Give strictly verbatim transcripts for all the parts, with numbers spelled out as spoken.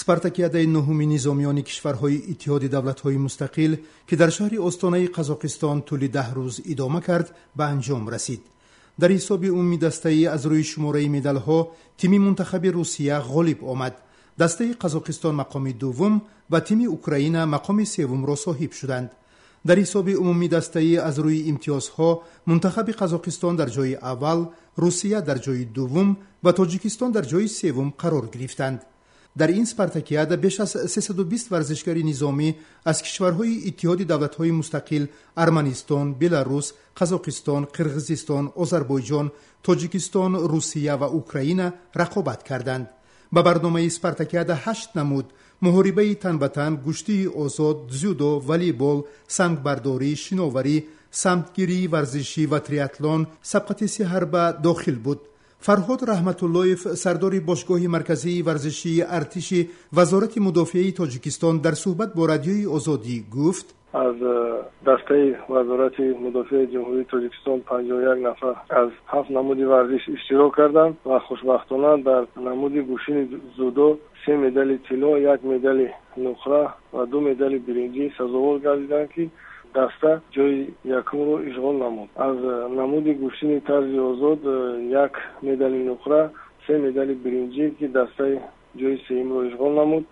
Спартакиадаи нуҳуми низомиёни кишварҳои Иттиҳоди давлатҳои мустақил, ки дар шаҳри Остонаи Қазоқистон тӯли даҳ рӯз идома кард, ба анҷом расид. Дар ҳисоби умумии дастаӣ аз рӯи шумораи медалҳо тими мунтахаби Русия ғолиб омад. Дастаи Қазоқистон мақоми дуввум ва тими Украина мақоми севумро соҳиб шуданд. Дар ҳисоби умумии дастаӣ аз рӯи имтиёзҳо мунтахаби Қазоқистон дар ҷои аввал, Русия дар ҷои дуввум ва Тоҷикистон дар ҷои севум қарор гирифтанд. Дар ин спартакиада беш аз сесаду бист варзишгари низомӣ аз кишварҳои Иттиҳоди давлатҳои мустақил Арманистон, Беларус, Қазоқистон, Қирғизистон, Озарбойҷон, Тоҷикистон, Русия ва Украина рақобат карданд. Ба барномаи спартакиада ҳашт намуд муҳорибаи тан ба тан, гӯштии озод, дзюдо, волейбол, сангбардорӣ, шиноварӣ, самтгирии варзишӣ ва триатлон, сабқати сеҳарба дохил буд. Фарҳод Раҳматуллоев, сардори бошгоҳи марказии варзишии артиши Вазорати мудофиаи Тоҷикистон, дар суҳбат бо Радиои Озодӣ гуфт: аз дастаи Вазорати мудофиаи Ҷумҳурии Тоҷикистон панҷоҳу як нафар аз ҳафт намуди варзиш иштирок карданд ва хушбахтона дар намуди гӯштини дзюдо се медали тилло, як медали нуқра ва ду медали биринҷӣ сазовор гардиданд, ки даста ҷои якумро ишғол намуд. Аз намуди гӯштини тарзи озод як медали нуқра, се медали биринҷӣ, ки дастаи ҷои сеюмро ишғол намуд,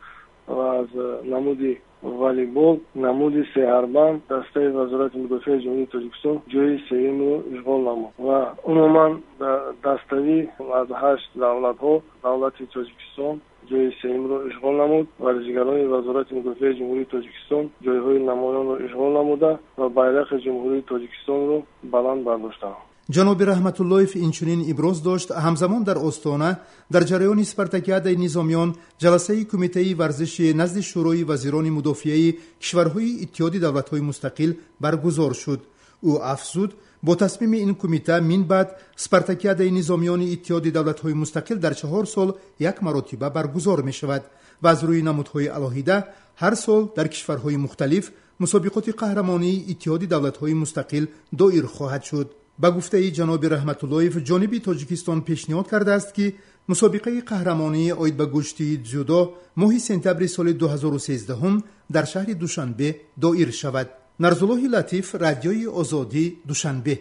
ва аз намуди волейбол, намуди сеҳарбанд дастаи Вазорати мудофиаи Ҷумҳурии Тоҷикистон ҷои сеюмро ишғол намуд ва умуман даставӣ аз ҳашт давлатҳо давлати Тоҷикистон ҷои сеюмро ишғол намуд. Варзишгарони Вазорати мудофиаи Ҷумҳурии Тоҷикистон ҷойҳои намоёнро ишғол намуда ва байрақи Ҷумҳурии Тоҷикистонро баланд бардоштанд. Ҷаноби Раҳматуллоев инчунин иброз дошт, ҳамзамон дар Остона дар ҷараёни спартакиадаи низомиён ҷаласаи кумитаи варзиши назди Шӯрои вазирони мудофиаи кишварҳои Иттиҳоди давлатҳои мустақил баргузор шуд. Ӯ афзуд, бо тасмими ин кумита мин баъд спартакиадаи низомиёни Иттиҳоди давлатҳои мустақил дар чаҳор сол як маротиба баргузор мешавад ва аз рӯи намудҳои алоҳида ҳар сол дар кишварҳои мухталиф мусобиқоти қаҳрамонии Иттиҳоди давлатҳои мустақил доир хоҳад шуд. Ба гуфтаи ҷаноби Раҳматуллоев, ҷониби Тоҷикистон пешниҳод кардааст, ки мусобиқаи қаҳрамонии оид ба гӯштии дзюдо моҳи сентябри соли ду ҳазору сездаҳум дар шаҳри Душанбе доир шавад. Нарзуллоҳи Латиф, Радиои Озодӣ, Душанбе.